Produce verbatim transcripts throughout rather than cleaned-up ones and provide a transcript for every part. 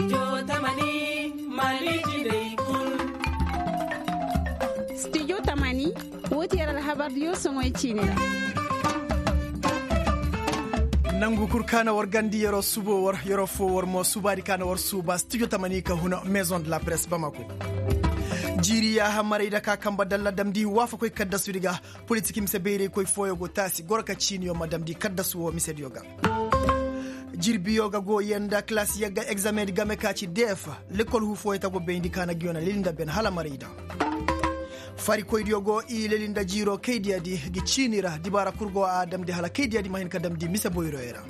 Studio tamani, woo ti yer alhabar diyo soŋoy ciini ra. Nangu kul ka na war gandi yeroo subo war yeroo foo war mo subaadi ka na war suuba studio tamani ka huna maison de la presse bamako. Jiiri yaaha maray da ka kamba dalla damndi waafakoy kaddasudi ga. Politik mise bayraykoy fooyo go taasi goro ka ciiniyo ma damndi kaddasu woo misediyo ga. Jirbiyo ga go yee nda kalaasi yagga egzameŋ di game ka ci deef. Lekol huu fooyo ta go bayndi ka na ngiyo na leli nda ben hala maray da. Farikoydiyo go i leli nda jiiroo kaydiyadi ngi ciini ra dibaara kul go a damndi hala kaydiyadi ma hin ka damndi mise boyroyo ra.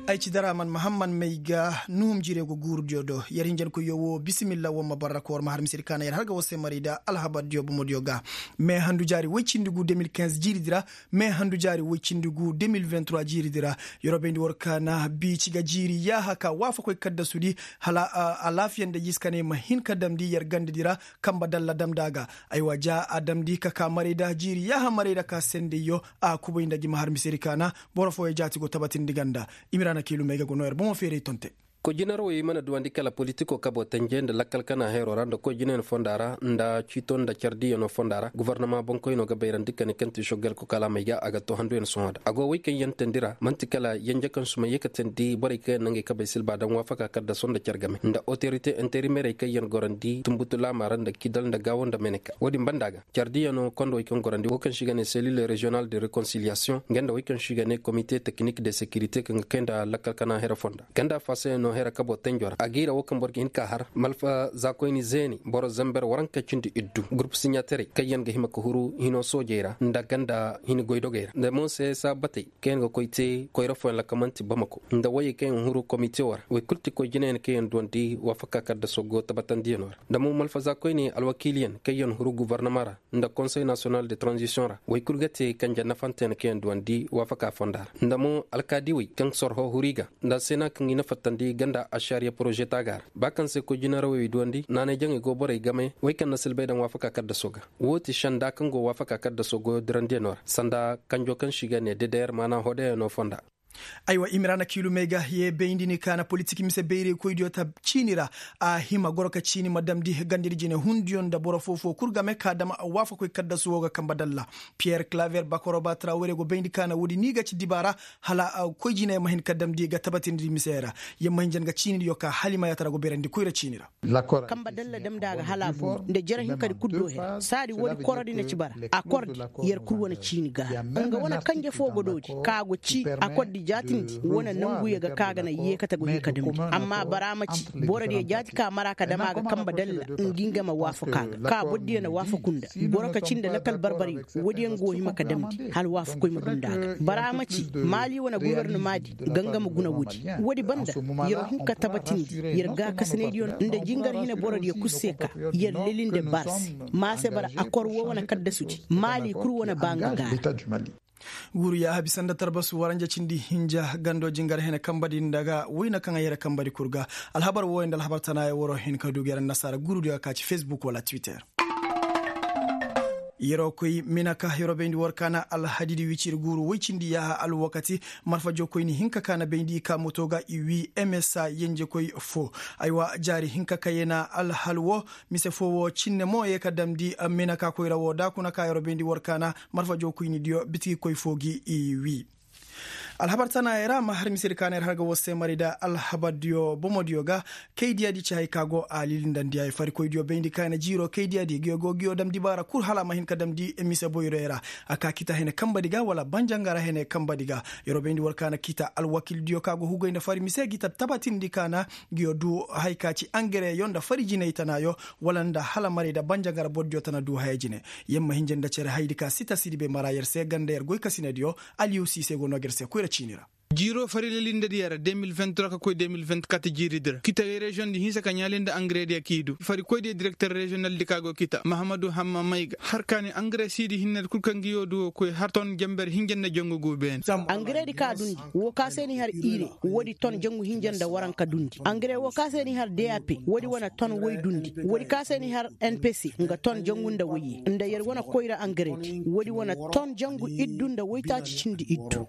Ay ci daraman mahamman may ga nuhum jiirey go guurudiyo do yer hinjankoyyo woo bisimilla war ma barra ka war ma har misedi ka na yer har ga war se maray da alhabardiyo bomodiyo ga. Me handu jaari woy cindi gu deux mille quinze jiiridi ra. Me handu jaari woy cindi gu deux mille vingt-trois jiiridi ra. Yer wo bayndi war ka na biici ga jiiri yaaha ka waafakoy kaddasudi hala alaafiya nda jiiskaney ma hin ka damndi yer gandadi ra. Kamba dalla damndi a ga. Aywa ja a damndi ka ka maray da jiiri yaaha maray da ka sendeyyo. A kubay nda gi ma har misedi ka na boro fooyo jaati go tabatindi ganda. Imiraana kiilumey ga go noo yer bomo feeray tonte. Koy jinarawey mana duwandi kala politikoo kaboo tenje nda lakkal kana heeroo ra nda koy jinayna fonda ra nda ciito nda car diiyanoo fonda ra gofornama boŋkoynoo ga bayrandi ka ne kaŋ ti sogel kokalamey ga a ga too handuyan sohõ da a go wey kaŋ yaŋ teendi ra man'ti kala yenje kaŋ suma yee ka teendi borey kaŋ yaŋ na ngey kabey silba daŋ waafaka kaddaso nda car game nda otorite interimerey kaŋ yaŋ gorandi tunbutu laama ra nda kidal nda gaawo nda meneka wo-din banda ga. Car diiyanoo kondowey kaŋ gorandi wo kaŋ se i ga ne selil reziyonal de rekonsiliyasiyoŋ nga nda wey kaŋ se i ga ne komite tekinik de sekirite kaŋ ga kay nda lakkal kana here fonda ganda fasayanoo here kaboo tenjo ra a ga i ra wo kaŋ boro ga hin ka har malfa zaakoyni zeeni boro zamber waranka cindi iddu gurup siɲaterey kaŋ yaŋ ga hima ka huru hino soojey ra nda ganda hini goydogey ra nda mo se saabatey kaŋ yaŋ ga koy te koyra fooyaŋ ra kaŋ man'ti bamako nda woyey kaŋ yaŋ huru komitewo ra woy kul ti koy jinayaŋ kaŋ yaŋ duwandi waafaka kaddaso go tabatandiyanoo ra nda mo malfa zaakoyni alwakiiliyaŋ kaŋ yaŋ huru gofornama ra nda konsey nasiyonal de tranzisiyoŋ ra woy kul ga te kanje nafanteyaŋ kaŋ yaŋ duwandi waafaka fonda ra nda mo alkaadiwey kaŋ sorho huru i ga nda seena kaŋ i na fattandi ganda ašariya poroze taaga ra ba kaŋ se koy jinarawey duwandi naanay jaŋey go borey game wey kaŋ na silbay daŋ waafaka kaddaso ga. Woo ti senda kaŋ go waafaka kaddaso goyo dirandiyanoo ra sanda kanjo kaŋ se i ga ne dedeyer maana hodeyanoo fonda. Aywa imiraana kiilumey ga yee bayndi ni ka na politik mise bayraykoydiyo ta ciini ra. A hima goro ka ciini ma damndi gandadi jine hundiyo nda boro foo-foo kul game ka dam waafakoy kaddasu woo ga kamba dalla. Piyer klaver bakoroba trawere go bayndi ka na woodi ni ga ci dibaara hala koy jiney ma hin ka damndi ga tabatindi misey ra. Yer ma hin jan ga ciinidiyo ka hala i ma yaatara go bayrandi koyra ciini ra. Kamba dalla damndi a ga hala a boori nda jere hinkadi kul do her saadi woodi korodi na ci bara. Akordi yer kul wane ciini gaara nga wane kanje foo go doodi ka go ci akordi jaatindi wane nanguyo ga ka ga na yeekate go hin ka damndi. Amma bara ma ci borodiyo jaati ka mara ka dam a ga kamba dalla ngi nga ma waafaku a ga ka borodiyo na waafaku nda boro ka ci nda lakal barbaryo. Woodiyo nga wo hima ka damndi hala waafakoy ma du nda a ga bara ma ci maali wane gofornomaadi. Gangama guna woodi woodi banda yer wo hin ka tabatindi yer gaakasinaydiyo nda jingar hine borodiyo kul se ka yer leli nda baasi. Ma se bara akor wo wane kaddasudi maali kul wane ba nga gaara. Guuru yaaha bisa nda tarbasu waranja cindi hinja gando jingar hene kambadi nda ga wayna kaŋ a yere kambadi kul ga. Alhabar wooyo nda alhabar tanaaya waroo hin ka du ga yer annasaara guurudiyo ka ci fesbuk wala twitter. Yeroo koy minaka yeroo bayndi war ka na alhadidi wiciri guuru woy cindi yaaha alwakati. Marfa jookoyni hinka ka na bayndi i ka moto ga i wii msa yenjekoy foo. Aywa jaari hinka ka yee na alhal woo mise foo woo cinne mo yee ka damndi. Minaka koyra woo da kuna ka yeroo bayndi war ka na marfa jookoynidiyo bitigi koy foo gi i wii. Alhabar tana yer a ma har misedi ka na yer har ga war se mari nda alhabardiyo bomodiyo ga. Kaydiyadi ci hay ka go a lilindandi ay farikoydiyo bayndi ka na jiiro kaydiyadi ngiyo go ngiyo dam dibaara kul hala a ma hin ka damndi mise boyroyo ra. A ka kita hene kambadi ga wala banjangara hene kambadi ga. Yer wo bayndi war ka na kita alwakildiyo ka go hugay nda fari mise gi ta tabatindi ka na ngiyo du hay ka ci angereyo nda fari jinay tanayo wala nda hala maray nda banjangara bordiyo tana du haya jine. Yer ma hinja nda cere hayadi ka sita sidibe mara yer se ganda yer goykasinadiyo. Aliyu siise go no ga yer se koyra ciini ra. Jiiroo fari lelindadiyo ra deux mille vingt-trois ka koy deux mille vingt-quatre jiiridi ra kita reziyoŋdi hinsa ka ɲaali nda angarediyo k'i du farikoydiyo direkter reziyonaldi ka go kita mahamadu hamma mayga har ka ne angare siidi hinnedi kul kaŋ ga yoo duwo koy har ton jenber hinja nda jangu gu beene. Angaredi ka dundi woo ka se n'i har ire woodi ton jangu hinja nda waranka dundi angare woo ka se n'i har dap woodi wane ton woy dundi woodi ka se n'i har npc nga ton jangu nda woyye nda yer wane koyra angaredi woodi wane ton jangu iddu nda woytaaci cindi iddu.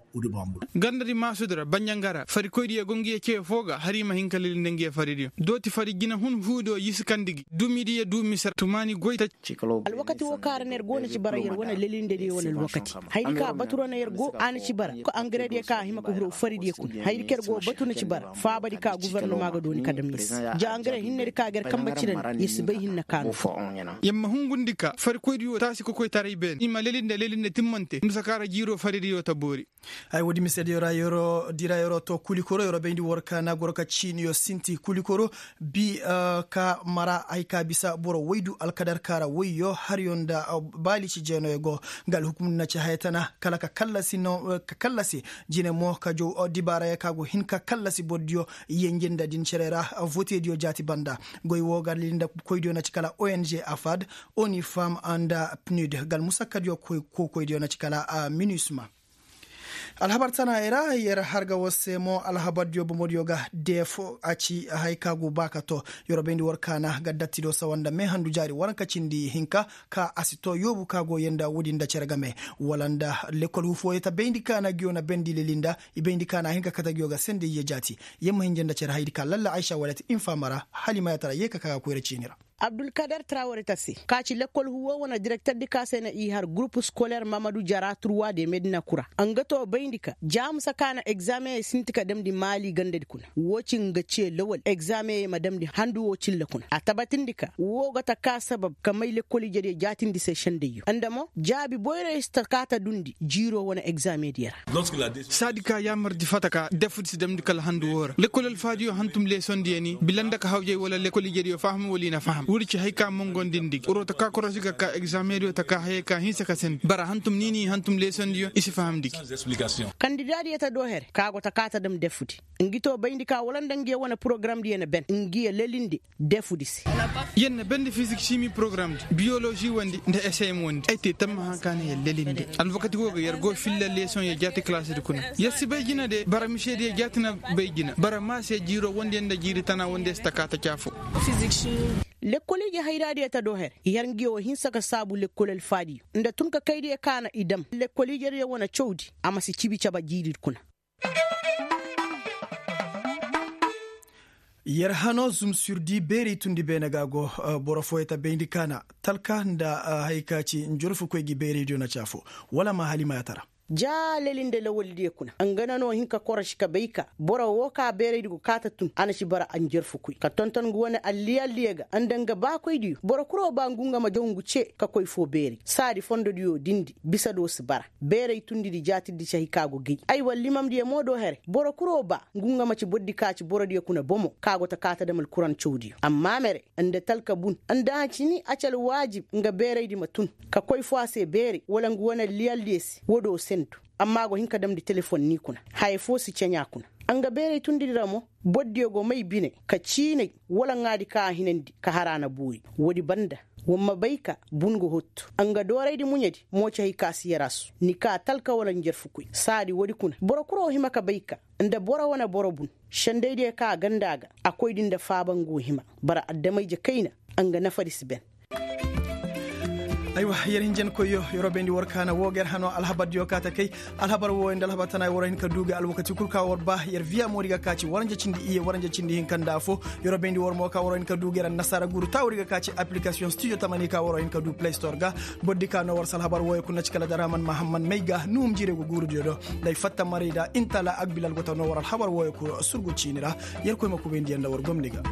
Gandadi ma Sudura banjanga ra farikoydiyo go ngiyo ceyo foo ga har i ma hin ka lelinde ngiyo faridiyo dooti fari jina hun huudo yisi kandi gi dumidiyo du mise ra tumaani goy taci. Alwakati woo kaŋ ra no yer go na ci bara yer wane lelindediyo wane alwakati. Hayadi ka batu ra no yer go a na ci bara ka angarediyo ka a hima ka huru faridiyo kuna hayadi ka yer go batu na ci bara faabadi ka gofornoma ga dooni ka dam yer se. Ja angare hinnedi ka ga yer kanbe cirandi yer si bay hinne ka no. Yer ma hungundi ka farikoydiyo taasi kokoytaray beene i ma lelinde lelinde timmante musa ka ra jiiroo faridiyo ta boori. Ay woodi misediyo ra yeroo di ra yeroo to kulikoro yeroo bayndi war ka na goro ka ciiniyo sinti kulikoro bi ka mara ay ka bisa boro waydu alkadar ka ra wayyo haryo nda baali ci jeenoyo go. Nga alhukumdi na ci haya tana kala ka kallasi jine mo ka jow dibaarayo ka go hin ka kallasi bordiyo yenje nda din cere ra. Votediyo jaati banda goy woo ga lilinde koydiyo na ci kala ong afad, onifam nda pnud ga almusakkadiyo kokoydiyo na ci kala minusma. Alhabar tana ra yer har ga war se mo alhabardiyo bomodiyo ga deef a ci haya ka go ba ka to. Yer bayndi war ka na ga dattido sawa nda meehandu jaari waranka cindi hinka ka a si to yoobu ka go yee nda woodi nda cere game wala nda lekkol huufoyoo ta bayndi ka na ngiyo na bendi leli nda i bayndi ka na hin ka kate ngiyo ga sendey yee jaati. Yer ma hinja nda cere hayadi ka lalla aysa wala ti infaama ra hala i ma yaatara yee ka ka ga koyra ciini ra. Abdulkadar traware ta se ka ci lekkol huuwo wane direkterdi ka se na i har gurupu skoler mamadu jara turwa de medina kura. Nga to bayndi ka jaamusa ka na egzaameyey sinti ka damndi maali gandadi kuna woo ci nga ce lawal egzaameyey ma damndi handu woo cilla kuna a tabatindi ka woo ga ta ka sabab ka may lekkol ijediyo jaatindi se sendayyo nda mo jaabi boyroyo si ta ka ta dundi jiiroo wane egzaamediyo ra. Saadi ka yaamardi fata ka defudi si damndi kala handu woo ra lekkol alfaadiyo hantum leesondiyo ni bila nda ka hawjay wala lekkol ijediyo faham wala i na faham woodi ci hay ka mongondindi gi woro ta ka korosi ga ka egzaamediyo ta ka hayey ka hinsa ka sandi bara hantum ni ni hantum leesondiyo i si fahamndi gi. Kandidaadiyo ta doo here ka go ta ka ta dam defudi ngi to bayndi ka wala nda ngiyo wane porogaramdiyo na ben ngiyo lelinde defudi se. Yer na bendi fizik simi porogaramdi biyolozi wondi nda eseyem wondi ay te tammaha ka na yer lelinde. Alwakati woo ga yer go filla leesoŋyo jaati kalaasidi kuna yer si bay jina de bara misediyo jaati na bay jina bara maa se jiiroo wondiyo nda jiiri tana wondiyo si ta kaa ta caafoo. Lekkol ije hayraadiyo ta doo here yer ngiyo wo hinsa ka saabu lekkol alfaadiyo nda tun ka kaydiyo ka na i dam lekkol ijediyo wane cawdi a ma si cibi caba jiiridi kuna. Yer hano zum surdi beeri tundi beene ga go. Boro fooyo ta bayndi kaana talka nda haya ka ci njarfukoy gi beeraydiyo na ci afo wala ma hala i ma yaatara. Ja leli nda lawaldiyo kuna nga na no hin ka korosi ka bay ka boro wo ka beeraydi go kaata tun a na ci bara a njarfukoy ka tonton ngu wane alliyaldiyo ga nda nga baakoydiyo boro kuro ba ngu nga ma jaw ngu ce ka koy foo beeray saadi fondodiyo dindi bisa do si bara. Beeray tundidi jaatirdi cahi ka go gay ay war limamdiyo mo do here boro kuro ba ngu nga ma ci bordi ka ci borodiyo kuna bomo ka go ta kaa ta dam alkurancawdiyo amma mere nda talka bun nda a cini a ci alwaajib nga beeraydi ma tun ka koy foo a se beeray wala ngu wane liyaldiyo se woo do sendu. Amma a go hin ka damndi telefon ni kuna haya foo si ceɲaa kuna. Nga beeray tundidi ra mo bordiyo go may bine ka ciinay wala ŋaadi ka a hinandi ka har a na boori. Woodi banda war ma bay ka bun go hottu nga dooraydi muɲedi mo ci hay ka si yer a su ni kaa talka wala njarfukoy saadi woodi kuna boro kuro hima ka bay ka nda boro wane boro bun sendaydiyo ka a ganda a ga a koydi nda faaba nga wo hima. Bara adama-ije kayna nga nafadi si ben. Aywa yer hinjankoyyo yer wo bayndi war kaana woo ga yer hano alhabardiyo kaa ta kay. Alhabar wooyo nda alhabar tana war hin ka duu ga alwakati kul ka war ba yer viya moodi ga ka ci waranja cindi iyye waranja cindi hinka nda afo. Yer wo bayndi war mo ka war hin ka duu ga yer annasaara guuru taawudi ga ka ci aplikasiyoŋ studio tamani ka war hin ka duu play store ga. Bordi ka no war si alhabar wooyo kul na ci kala daraman mahamman may ga nuhum jiire go guurudiyo do. Nda ay fatta maray da intala agbilal go ta no war alhabar wooyo kul surgu ciini ra. Yerkoy ma kubayndi yer nda war gomni ga.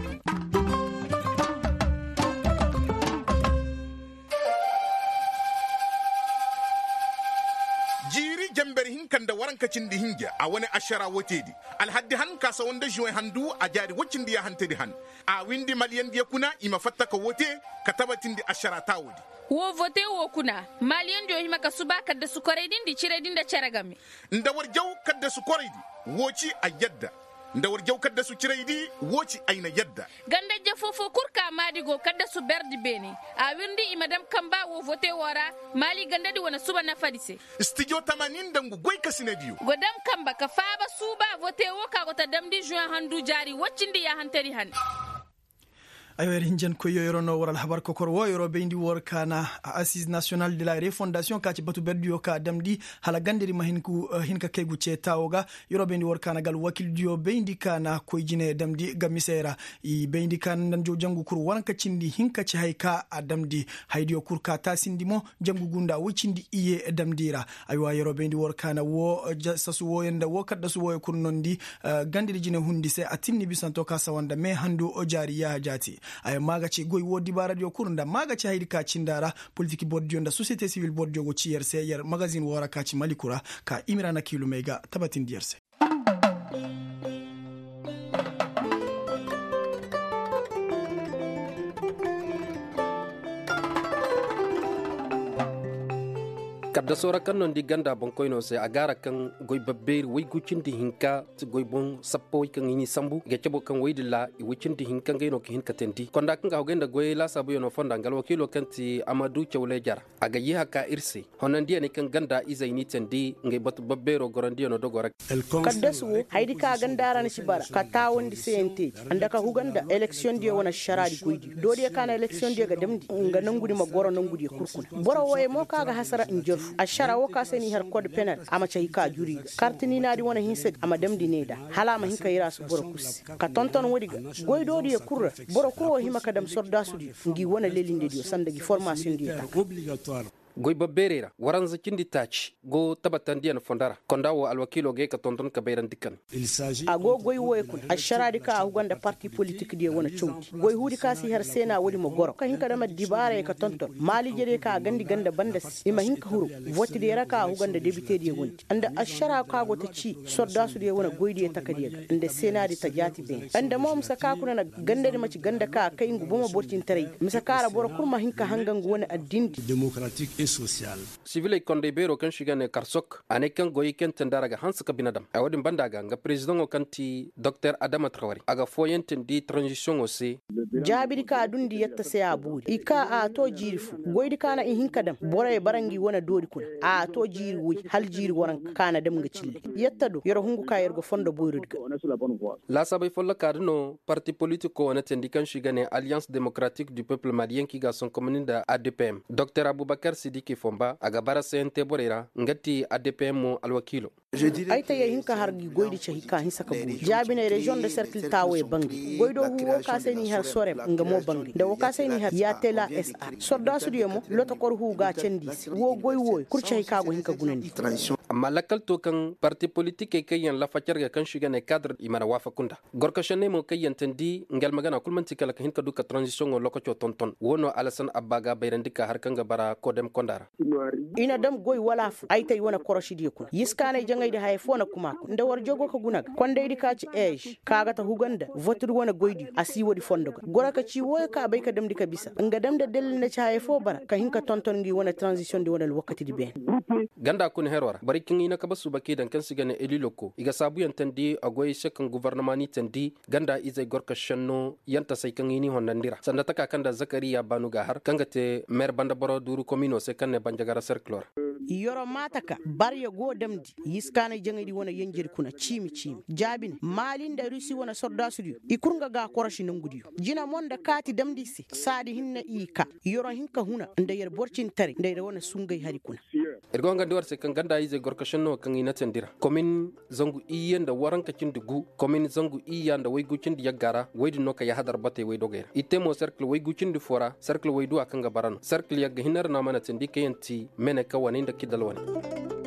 Jiiri janber hinka nda waranka cindi hinja a wane ašara woteedi alhaddi han ka sawa nda žuweŋ handu a jaari woy cindi yaahantedi han. A windi maliyandiyo kuna i ma fatta ka wote ka tabatindi ašara taawoodi. Woo vote woo kuna maliyandiyo hima ka suba kaddasu koraydi nda ciraydi nda cere game. Nda war jaw kaddasu koraydi woo ci ay yadda. Nda war jaw kaddasu ciraydi woo ci ay na yadda. Gandajje foofoo kul ka maadi go kaddasu berdi beene. A wirndi i ma dam kamba woo vote woo ra maali gandadi wane suba nafadi se. Stijo tamanin nda ngu goykasinadiyo go dam kamba ka faaba suuba vote woo ka go ta damndi žuweŋ handu jaari woy cindi yaahantedi han. Aywa yer hinjankoyyo yeroo no war alhabar kokor woo yeroo bayndi war kaana, asiz nasiyonal de la refondasiyoŋ ka ci batu berdiyo ka damndi hala gandari ma hin ka kay gu ceetaawo ga. Yeroo bayndi war kaana ga alwakildiyo bayndi kaana koy jine damndi ga misey ra. I bayndi kaana nda jangu kul waranka cindi hinka ci hay ka a damndi. Haydiyo kul ka taasindi mo jangu gunda woy cindi iye damndi ra. Aywa yeroo bayndi war kaana woo sasu wooyo nda woo kaddasu wooyo kul nondi. Gandari jine hundi se a tinni bisanto ka sawa nda mee handu jaari yaaha jaati. Ay maaga ci goy woo dibaaradiyo kul nda maaga ci haydi ka cinda ra. Politik bordiyo nda sosiyete sibil bordiyo go ci yer se yer magazin woo ra ka ci maliku ra. Ka imira na kiilumey ga tabatindi yer se. Kadda soora kaŋ no ni di ganda boŋkoynoo se a gaara kaŋ goy babbeeri woy gu cindi hinka ti goy boŋ sappawey kaŋ i n'i sambu i ga cabo kaŋ woy din ra i woy cindi hinka ngey no ka hin ka teendi konda kaŋ ga hogay nda goyey laasaabuyanoo fonda nga alwakiiloo kaŋ ti amadu cawley jara. A ga yeeha ka ir se honandiyaney kaŋ ganda izey n'i teendi ngey batu babbeeroo gorandiyanoo dogoo ra. Kaddas wo hayadi ka ganda ra na si bara ka taawandi seyanteedi nda ka huga nda eleksiyondiyo wane ašaraadi goydiyo doodiyo ka na eleksiyondiyo ga damndi nga nongudi ma goro nongudiyo kul kuna. Boro wooyo mo ka ga hasara njarfu ašara wo ka se n'i har kod penal a ma cahi ka juri ga karti niinaadi wane hinsadi a ma damndi ne nda hala a ma hin ka yiraasu boro kul se. Ka tonton woodi ga goydoodiyo kul ra boro kul wo hima ka dam sordaasudiyo ngi wane lelindediyo sanda ngi formasiyondiyo ta. Goy babbeerey ra waranza cindi taaci go tabatandiyaŋ fondo ra konda wo alwakiiloo ga ye ka tonton ka bayrandi ka ne. A go goy wooyo kuna ašaraadi ka a huga nda parti politikdiyo wane cawdi goy huudi ka si har seena woodi ma goro ka hin ka dam addibaarey ka tonton maaliijediyo ka a gandi ganda banda se i ma hin ka huru votidiyo ra ka a huga nda debitediyo wandi nda ašara ka go ta ci sordaasudiyo wane goydiyo takadiyo ga nda seenaadi ta jaati beene nda mo mise ka kuna na gandadi ma ci ganda ka a kay ngu bomo borcintaray ga mise ka ra boro kul ma hin ka hanga ngu wane addindi. Sibiley kondey beeroo kaŋ se i ga ne karsok a ne kaŋ goyey kaŋ te nda ra ga hanse ka bine dam ay woodin banda ga nga perezidaŋo kaŋ ti doktor adama trawari a ga fooyaŋ teendi taranzisiyoŋo se. Jaabidi ka a dundi yatta se a boori i ka a to jiiri fo goydi ka na i hin ka dam borey bara ngi wane doori kuna a to jiiri woy hala jiiri waranka ka na dam nga cille. Yatta do yer hungu ka yer ga fondo boyrodi ga. Laasaabey follokaa da no parti politikoo wane teendi kaŋ se i ga ne alliyanse demokaratik du pepel maliyen kaŋ i ga a sonkomandi nda adpm doktor abubakar sidiki fomba a ga bara sayante borey ra nga ti adpm mo alwakiilo. Ay ta yee hin ka har gi goydi cahi ka hinsa ka buuri jaabiney reziyoŋ nda serkil taawey bangay goydoo huu woo ka se n'i har sorem nga mo bangay nda woo ka se n'i har yaatela sr sordaasudiyo mo lotokor huu ga a candi i se woo goy wooyo kul cahi ka go hin ka gunandi. Amma lakkal to kaŋ parti politikey kaŋ yaŋ lafa carga kaŋ se i ga ne kaadar i mana waafaku nda gorkasenney mo kaŋ yaŋ teendi nga almagana kul man'ti kala ka hin ka du ka taranzisiyoŋo lokaco tonton woo no alasan abba ga a bayrandi ka har kaŋ ga bara kodem konda ra. I na dam goy wala afo ay tay wane korosidiyo kuna yiskaanay jaŋaydi haya fo na kuma kuna nda war jogo ka guna ga kondaydi ka ci eez ka ga ta huga nda votudi wane goydiyo a si woodi fondo ga goro ka ci wooyo ka bay ka damndi ka bisa nga dam nda dalil na ci haya fo bara ka hin ka tonton ngi wane taranzisiyoŋdi wane alwakatidi beene. Ganda kuna heroo ra borey kaŋ i na kabe suuba k'i daŋ kaŋ se i ga ne eliloko i ga saabuyaŋ teendi a goyey se kaŋ gofornoma n'i teendi ganda izey gorka šenno yantasey kaŋ i n'i hondandi ra sanda taka kaŋ nda zakariya baanu ga a har kaŋ ga te meer banda boro duuru kominoo se kaŋ ne banjagara serkiloo ra. Yoro maata ka barya go damndi yiskaanay jaŋaydi wane yenjedi kuna ciimi ciimi jaabine maali nda rusi wane sordaasudiyo i kul nga ga a korosi nongudiyo jina mo nda kaati damndi se saadi hinne i ka yoro hin ka huna nda yer borcintaray nda yer wane sungay hari kuna. Ir go hangandi war se kaŋ ganda izey gorka šenno kaŋ i na teendi ra komin zangu iyye nda waranka cindi gu komin zangu iyya nda waygu cindi yagga ra woy din no ka yahadar batey woy dogey ra i te mo serkil waygu cindi fo ra serkil wayduwa kaŋ ga bara no serkil yagga hinne ra no a mana teendi kaŋ yaŋ ti mene ka wane nda kidal wane.